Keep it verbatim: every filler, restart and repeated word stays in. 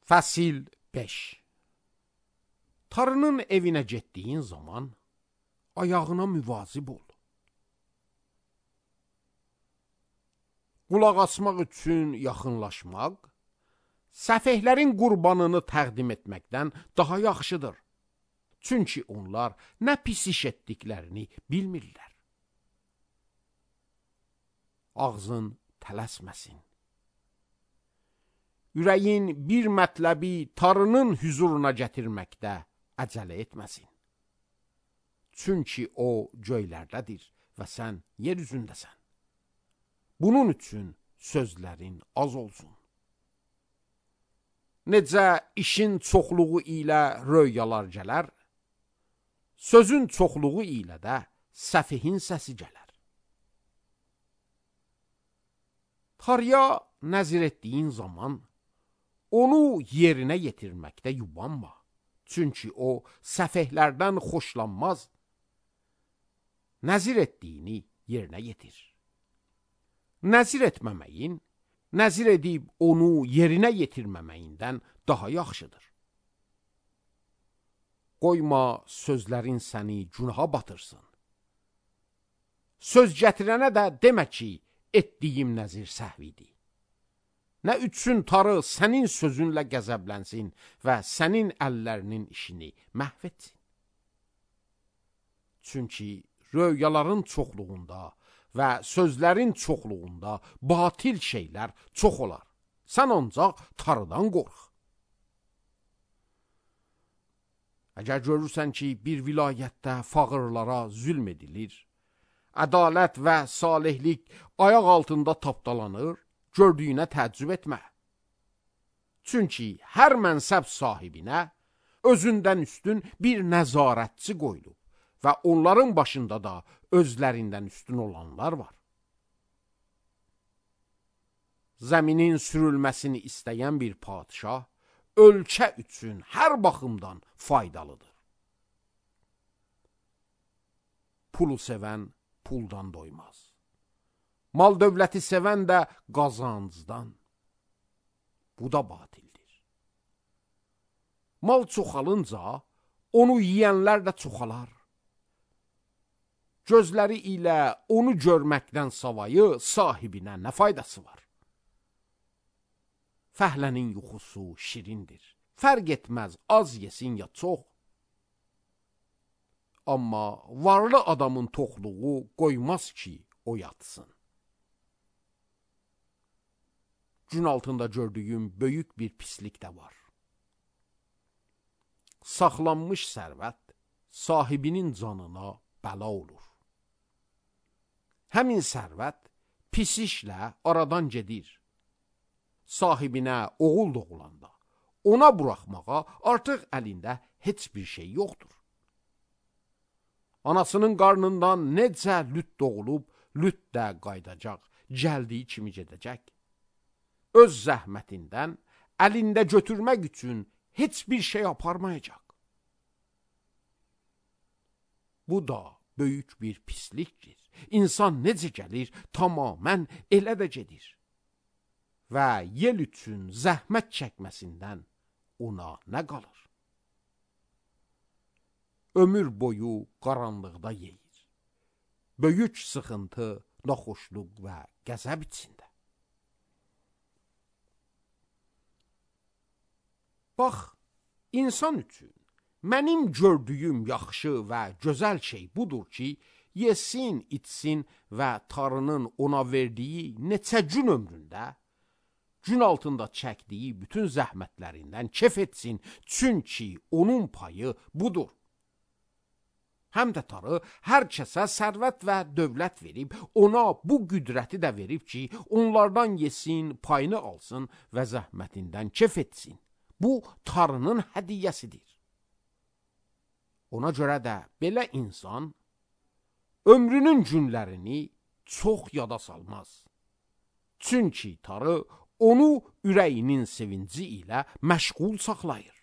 Fəsil beş. Tarının evinə getdiyin zaman ayağına müvazib ol. Qulaq asmaq üçün yaxınlaşmaq, səfehlərin qurbanını təqdim etməkdən daha yaxşıdır. Çünki onlar nə pis iş etdiklərini bilmirlər. Ağzın tələsməsin. Ürəyin bir mətləbi tarının hüzuruna gətirməkdə əcələ etməsin. Çünki o göylərdədir və sən yer üzündəsən. Bunun üçün sözlərin az olsun. Necə işin çoxluğu ilə röyalar gələr, sözün çoxluğu ilə də səfihin səsi gələr. Tarıya nəzir etdiyin zaman, onu yerinə yetirməkdə yubanma. Çünki o səfehlərdən xoşlanmaz. Nəzir etdiyini yerinə yetir. Nəzir etməməyin, nəzir edib onu yerinə yetirməməyindən daha yaxşıdır. Qoyma sözlərin səni günaha batırsın. Söz gətirənə də demə ki, etdiyim nəzir səhvidir. Nə üçün tarı sənin sözünlə qəzəblənsin və sənin əllərinin işini məhv etsin. Çünki röyaların çoxluğunda və sözlərin çoxluğunda batil şeylər çox olar. Sən ancaq tarıdan qorx. Əgər görürsən ki, bir vilayətdə fağırlara zülm edilir, ədalət və salihlik ayaq altında tapdalanır, gördüyünə təəccüb etmə. Çünki hər mənsəb sahibinə özündən üstün bir nəzarətçi qoyulub və onların başında da özlərindən üstün olanlar var. Zəminin sürülməsini istəyən bir padişah ölkə üçün hər baxımdan faydalıdır. Pulu sevən puldan doymaz. Mal dövləti sevən də qazancdan. Bu da batildir. Mal çoxalınca onu yiyənlər də çoxalar. Gözləri ilə onu görməkdən savayı sahibinə nə faydası var? Fəhlənin yuxusu şirindir. Fərq etməz az yesin ya çox. Amma varlı adamın toxluğu qoymaz ki, o yatsın. Gün altında gördüyüm böyük bir pislik də var. Saxlanmış sərvət sahibinin canına bəla olur. Həmin sərvət pis işlə aradan gedir. Sahibinə oğul doğulanda ona buraxmağa artıq əlində heç bir şey yoxdur. Anasının qarnından necə lüt doğulub, lüt də qaydacaq, gəldiyi kimi gedəcək. Öz zəhmətindən əlində götürmək üçün heç bir şey aparmayacaq. Bu da böyük bir pislikdir. İnsan necə gəlir, tamamən elə də gedir. Və yel üçün zəhmət çəkməsindən ona nə qalır? Ömür boyu qaranlıqda yeyir. Böyük sıxıntı, naxoşluq və qəzəb içində. Bax, insan üçün mənim gördüyüm yaxşı və gözəl şey budur ki, yesin, içsin və tarının ona verdiyi neçə gün ömründə, gün altında çəkdiyi bütün zəhmətlərindən kef etsin, çünki onun payı budur. Həm də tarı hər kəsə sərvət və dövlət verib, ona bu qüdrəti də verib ki, onlardan yesin, payını alsın və zəhmətindən kef etsin. Bu, tarının hədiyyəsidir. Ona görə də belə insan ömrünün günlərini çox yada salmaz. Çünki tarı onu ürəyinin sevinci ilə məşğul saxlayır.